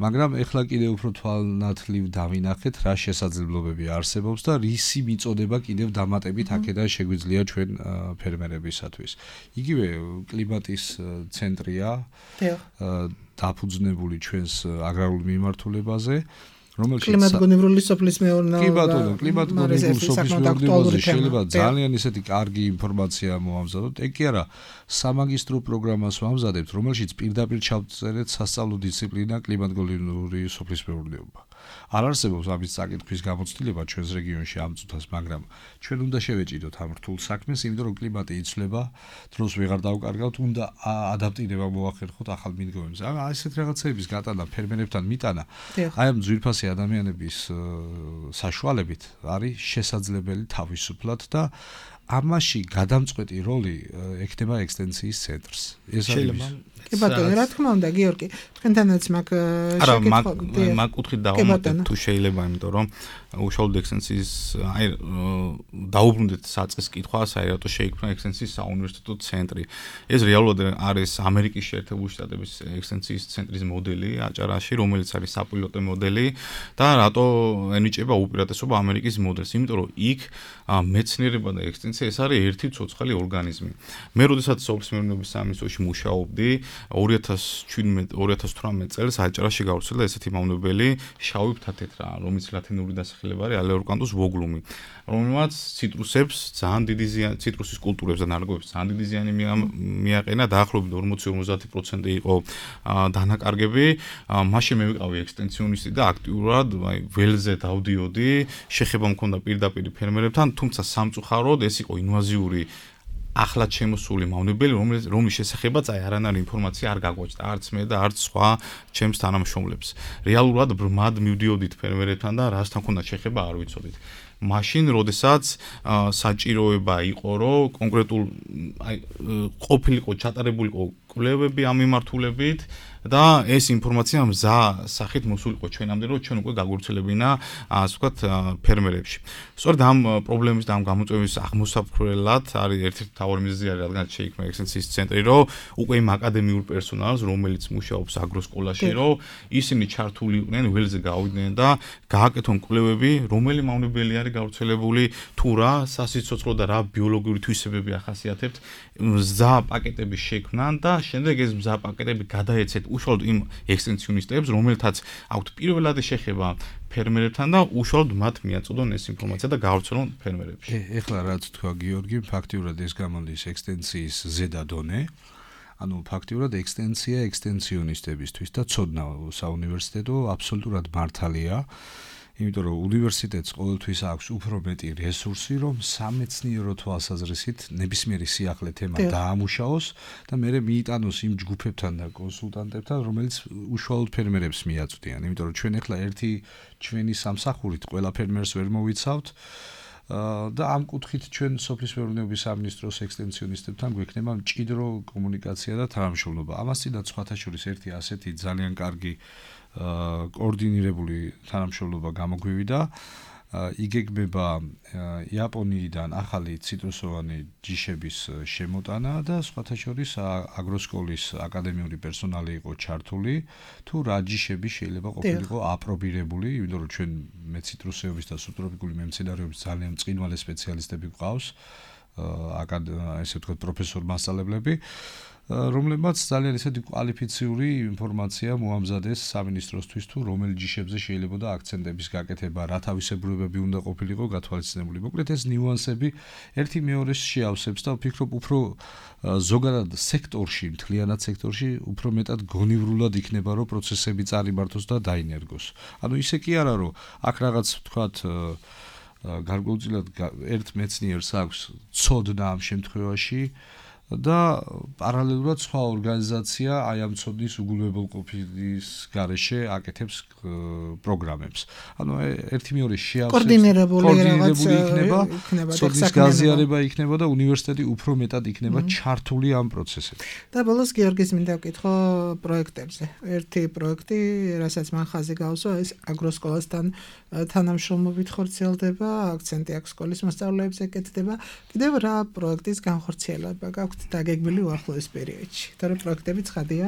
[SPEAKER 4] მაგრამ ეხლა კიდევ უფრო თვალნათლივ დავინახეთ, რა შესაძლებლობები არსებობს და რისი მიწოდება კიდევ დამატებით აქედან შეგვიძლია ჩვენ ფერმერებისათვის. იგივე კლიმატის ცენტრია დაფუძნებული ჩვენს აგრარულ მიმართულებაზე, რომელშიც
[SPEAKER 3] კლიმატგონივრული სოფლის მეურნეობა.
[SPEAKER 4] კი ბატონო, კლიმატგონივრული სოფლის მეურნეობაზე შეიძლება ძალიან ისეთი კარგი ინფორმაცია მოამზადოთ. ეგ კი არა, სამაგისტრო პროგრამას ვამზადებთ, რომელშიც პირდაპირ ჩავწერეთ სასწავლო დისციპლინა კლიმატგონივრული სოფლის მეურნეობა. არ არსებობს ამის წაკითხვის გამოცდილება ჩვენს რეგიონში ამ წუთას, მაგრამ ჩვენ უნდა შევეჭიდოთ ამ რთულ საქმეს, იმიტომ რომ კლიმატი იცვლება, დროს ვეღარ დავკარგავთ, უნდა ადაპტირება მოახერხოთ ახალ მიდგომებს. აი ესეთ რაღაცების გატანა ფერმერებთან მიტანა, აი ამ ძვირფასი ადამიანების საშუალებით არის შესაძლებელი თავისუფლად და ამაში გადამწყვეტი როლი ექნება ექსტენსიის ცენტრს. ეს
[SPEAKER 5] შეიძლება
[SPEAKER 3] კი ბატონო, რა თქმა უნდა, გიორგი, თქვენთანაც მაგ
[SPEAKER 5] შეკითხვა არა, მაგ კუთხით დავამატებ თუ შეიძლება, იმიტომ რომ უშუალოდ ექსტენსიის აი დაუბრუნდეთ საწყის კითხვას, აი რატო შეიქმნა ექსტენსიის საუნივერსიტეტო ცენტრი. ეს რეალურად არის ამერიკის შეერთებული შტატების ექსტენსიის ცენტრის მოდელი აჭარაში, რომელიც არის საპილოტო მოდელი და რატო ენიჭება უპირატესობა ამერიკის მოდელს, იმიტომ რომ იქ მეცნიერება და ექსტენსია ეს არის ერთი ცოცხალი ორგანიზმი. მე როდესაც სოფლის მეურნეობის სამინისტროში მუშაობდი, ორი ათას შვიდმეტ ორი ათას თვრამეტ წელს აჭარაში გავრცელდა ესეთი მავნებელი შავი ფთათეთრა, რომელიც ლათინური დასახელება არის ალეურკანტუს ვოგლუმი, რომელმაც ციტრუსებს ძალიან დიდი ზიანი, ციტრუსის კულტურებს და ნარგავებს ძალიან დიდი ზიანი მიაყენა, დაახლოებით ორმოცი ორმოცდაათი პროცენტი იყო დანაკარგები. მაშინ მე ვიყავი ექსტენსიონისტი და აქტიურად აი ველზე დავდიოდი, შეხება მქონდა პირდაპირ ფერმერებთან, თუმცა სამწუხაროდ ეს იყო ინვაზიური ახლად შემოსული მავნებელი, რომელიც რომლის შესახებაც აი არანაირი ინფორმაცია არ გაგვაჭდა, არც მე და არც სხვა ჩემს თანამშრომლებს. რეალურად ბრმად მივდიოდით ფერმერებთან და რასთან ქონდა შეხება არ ვიცოდით. მაშინ, როდესაც საჭიროება იყო, რომ კონკრეტულ აი ყოფილიყო ჩატარებულიყო კვლევები ამ მიმართულებით და ეს ინფორმაცია მზა სახით მოსულიყო ჩვენამდე, რომ ჩვენ უკვე გაგვირჩელებინა, ასე ვთქვათ, ფერმერებში. სწორედ ამ პრობლემის და ამ გამოწვევის აღმოსაფრთხებლად არის ერთ-ერთი მთავარი მიზეზი, რადგან შეიქმნა ექსტენსიის ცენტრი, რომ უკვე იმ აკადემიურ პერსონალს, რომელიც მუშაობს აგროსკოლაში, რომ ისინი ჩართული იყვნენ, ველზე გავიდნენ და გააკეთონ კვლევები, რომელი მავნებელი არის გავრცელებული, თუ რა სასიცოცხლო და რა ბიოლოგიური თვისებები ახასიათებთ, მზა პაკეტების შექმნან და შემდეგ ეს მზა პაკეტები გადაეცეთ უშუალოდ იმ ექსტენსიონისტებს, რომელთაც აქვთ პირველადი შეხება ფერმერებთან და უშუალოდ მათ მიაწოდონ ეს ინფორმაცია და გავრცელონ ფერმერებში.
[SPEAKER 4] ეხლა რაც თქვა გიორგი, ფაქტიურად ეს გამოდის ექსტენსიის ზედა დონე. ანუ ფაქტიურად ექსტენსია ექსტენსიონისტებისთვის და ცოდნა საუნივერსიტეტო აბსოლუტურად მართალია. იმიტომ რომ უნივერსიტეტს ყოველთვის აქვს უფრო მეტი რესურსი, რომ სამეცნიერო თვალსაზრისით ნებისმიერი სიახლე თემა დაამუშაოს და მერე მიიტანოს იმ ჯგუფებთან და კონსულტანტებთან, რომელიც უშუალოდ ფერმერებს მიაწვდიან. იმიტომ რომ ჩვენ ახლა ერთი ჩვენი სამსახურით ყველა ფერმერს ვერ მოვიცავთ და ამ კუთხით ჩვენ სოფლის მეურნეობის სამინისტროს ექსტენსიონისტებთან გვექნება მჭიდრო კომუნიკაცია და თანამშრომლობა. ამასთანავე სხვათა შორის ერთი ასეთი ძალიან კარგი კოორდინირებული თანამშრომლობა გამოგვივიდა. იგეგმება იაპონიიდან ახალი ციტრუსოვანი ჯიშების შემოტანა და სხვათა შორის აგროსკოლის აკადემიური პერსონალი იყო ჩართული, თუ რა ჯიშები შეიძლება ყოფილიყო აპრობირებული, იმიტომ რომ ჩვენ მეციტრუსეობის და სუბტროპიკული მემცენარეობის ძალიან მწყინვალე სპეციალისტები გვყავს, ესე ვთქვათ, პროფესორ მასწავლებლები, რომლებმაც ძალიან ისეთი კვალიფიციური ინფორმაცია მოამზადეს სამინისტროსთვის, თუ რომელი ჯიშებზე შეიძლება და აქცენტების გაკეთება, რა თავისებურებები უნდა ყოფილიყო გათვალისწინებული. მოკლედ ეს ნიუანსები ერთი მეორეს შეავსებს და ვფიქრობ, უფრო ზოგადად სექტორში, მთლიანად სექტორში უფრო მეტად გონივრულად იქნება, რომ პროცესები წარიმართოს და დაინერგოს. ანუ ისე კი არა, რომ აქ რაღაც ვთქვათ გარკვეულწილად ერთ მეცნიერს აქვს ცოდნა ამ შემთხვევაში და პარალელურად სხვა ორგანიზაცია აი ამ ცოდნის უგულებელყოფის გარეშე აკეთებს პროგრამებს. ანუ ერთი მეორე შეავსებს
[SPEAKER 3] კოორდინირებული რაღაც
[SPEAKER 4] იქნება,
[SPEAKER 3] იქნება
[SPEAKER 4] ცოდნის გაზიარება იქნება და უნივერსიტეტი უფრო მეტად იქნება ჩართული ამ პროცესებში.
[SPEAKER 3] და ბოლოს გიორგის მინდა ვკითხო პროექტებზე. ერთი პროექტი, რასაც მან ხაზი გაუსვა, ეს აგროსკოლასთან თანამშრომლობით ხორციელდება, აქცენტი აქვს სკოლის მოსწავლეებზე ეკეთდება. კიდევ რა პროექტის განხორციელება გაქვთ დაგეგმილი უახლოეს პერიოდში? თორე პროექტები ცხადია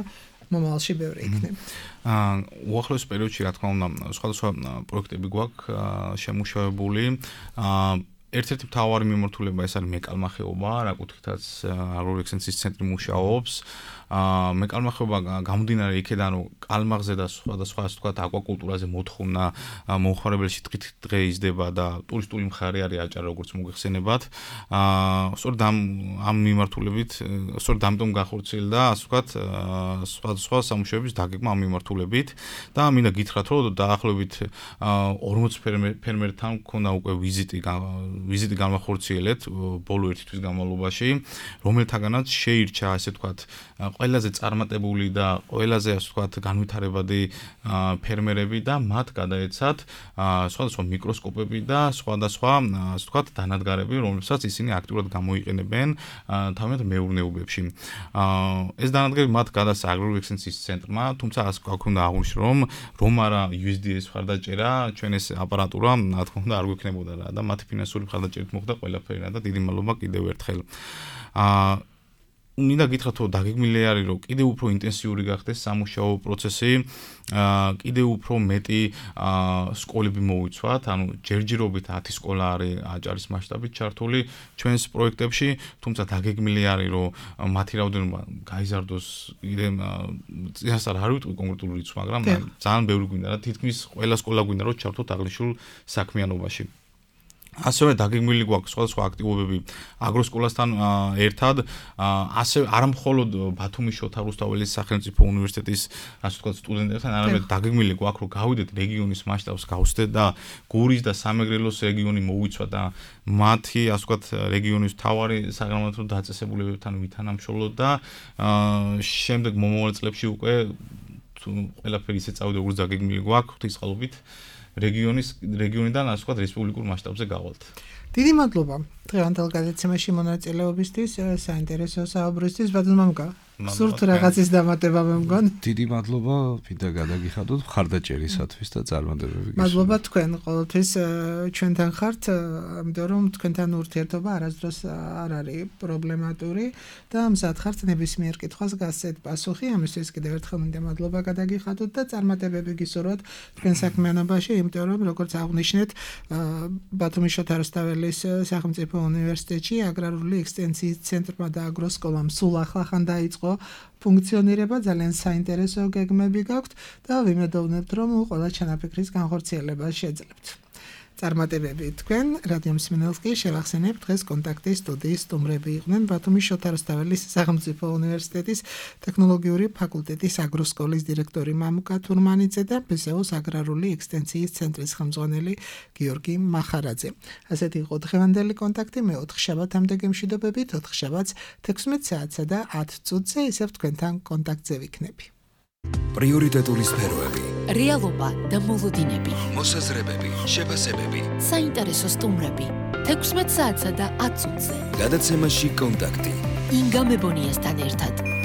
[SPEAKER 3] მომავალში ბევრი იქნება.
[SPEAKER 5] აა უახლოეს პერიოდში რა თქმა უნდა სხვადასხვა პროექტები გვაქვს შემუშავებული. აა ერთ-ერთი მთავარი მიმართულება ეს არის მეკალმახეობა, რა კუთხითაც აგროექსცენციის ცენტრი მუშაობს. აა მეკალმახეობა გამომდინარე იქედან რომ კალმაღზე და სხვადასხვა ასე ვთქვათ აკვაკულტურაზე მოთხოვნა მომხმარებელში დღე იზრდება და ტურისტული მხარე არის აჭარა როგორც მოგეხსენებათ. აა სწორედ ამ ამ მიმართულებით სწორედ ამიტომ განხორციელდა ასე ვთქვათ სხვადასხვა სამუშაოების დაგეგმა ამ მიმართულებით და მინდა გითხრათ რომ დაახლოებით ორმოც ფერმერთან მქონდა უკვე ვიზიტი ვიზიტი განახორციელეთ ბოლო ერთი თვის განმავლობაში, რომელთაგანაც შეირჩა ასე ვთქვათ ყველაზე წარმატებული და ყველაზე ასე ვთქვათ განვითარებადი ფერმერები და მათ გადაეცათ სხვადასხვა მიკროსკოპები და სხვადასხვა ასე ვთქვათ დანადგარები, რომლებსაც ისინი აქტიურად გამოიყენებენ თავიანთ მეურნეობებში. ეს დანადგარები მათ გადასცა აგროექსცენციის ცენტრმა, თუმცა ასე გვქონდა აღნიშნული რომ რომ არა იუ ეს დი ეს მხარდაჭერა, ჩვენ ეს აპარატურა რა თქმა უნდა არ გვექნებოდა რა და მათი ფინანსური მხარდაჭერით მოხდა ყველაფერი რა და დიდი მადლობა კიდევ ერთხელ. აა მინდა გითხრათ რომ დაგეგმილი არის რომ კიდევ უფრო ინტენსიური გახდეს სამუშაო პროცესი, აა კიდევ უფრო მეტი აა სკოლები მოვიცვათ, ანუ ჯერჯერობით ათი სკოლა არის აჭარის მასშტაბით ჩართული ჩვენს პროექტებში, თუმცა დაგეგმილი არის რომ მათი რაოდენობა გაიზარდოს კიდევ წინასწარ არ ვიტყვი კონკრეტულ რიცხვს, მაგრამ ძალიან ბევრი გვინდა რა თითქმის ყველა სკოლა გვინდა რომ ჩართოთ აღნიშნულ საქმიანობაში. ასევე დაგეგმილი გვაქვს სხვადასხვა აქტივობები აგროსკოლასთან ერთად, ასევე არა მხოლოდ ბათუმის შოთა რუსთაველის სახელმწიფო უნივერსიტეტის ასე ვთქვათ სტუდენტებთან, არამედ დაგეგმილი გვაქვს რომ გავიდეთ რეგიონის მასშტაბს გავხსნათ და გურის და სამეგრელოს რეგიონი მოვიცვა და მათი ასე ვთქვათ რეგიონის მთავარი საგრამატო დაწესებულებებთან ვითანამშრომლოთ და შემდეგ მომავალ წლებში უკვე ყველაფერი ისე წავიდა როგორც დაგეგმილი გვაქვს ღვთისმსხლობით რეგიონის რეგიონიდან ასე ვთქვათ რესპუბლიკურ მასშტაბზე გავალთ.
[SPEAKER 3] დიდი მადლობა დღევანდელ გადაცემაში მონაწილეობისთვის, საინტერესო საუბრისთვის, ბატონ მამუკა. სურთ რაღაცის დამატება მე მგონი.
[SPEAKER 4] დიდი მადლობა, მინდა გადაგიხადოთ მხარდაჭერისათვის და წარმატებები გისურვებთ.
[SPEAKER 3] მადლობა თქვენ ყოველთვის ჩვენთან ხართ, ამიტომ რომ თქვენთან ურთიერთობა არასდროს არ არის პრობლემატური და მზად ხართ ნებისმიერ კითხვას გასცეთ პასუხი. ამისთვის კიდევ ერთხელ მინდა მადლობა გადაგიხადოთ და წარმატებები გისურვოთ თქვენ საქმიანობაში, იმიტომ რომ როგორც აღნიშნეთ, ბათუმის შოთა რუსთაველის სახელმწიფო უნივერსიტეტში აგრარული ექსტენსიის ცენტრმა და აგროსკოლამ სულ ახლახან დაიწყო ფუნქციონირება, ძალიან საინტერესო გეგმები გაქვთ და ვიმედოვნებთ რომ ყველა ჩანაფიქრის განხორციელებას შეძლებთ. წარმატებები თქვენ. რადიო მსმენელს კი შევახსენებთ, დღეს კონტაქტის სტუდიის სტუმრები იყვნენ ბათუმის შოთა რუსთაველის სახელმწიფო უნივერსიტეტის ტექნოლოგიური ფაკულტეტის აგროსკოლის დირექტორი მამუკა თურმანიძე და ბე ზე ოს აგრარული ექსტენსიის ცენტრის ხელმძღვანელი გიორგი მახარაძე. ასეთი იყო დღევანდელი კონტაქტი. მე ოთხ შაბათამდე გემშვიდობებით, ოთხ შაბათს თექვსმეტ საათსა და ათ წუთზე ისევ თქვენთან კონტაქტზე ვიქნები.
[SPEAKER 1] პრიორიტეტული სფეროები,
[SPEAKER 2] რეალობა და მოლოდინები,
[SPEAKER 1] მოსაზრებები, შეფასებები,
[SPEAKER 2] საინტერესო სტუმრები, თექვსმეტ საათსა და ათ წუთზე.
[SPEAKER 1] გადაცემაში კონტაქტი.
[SPEAKER 2] ინგა მებონიასთან ერთად.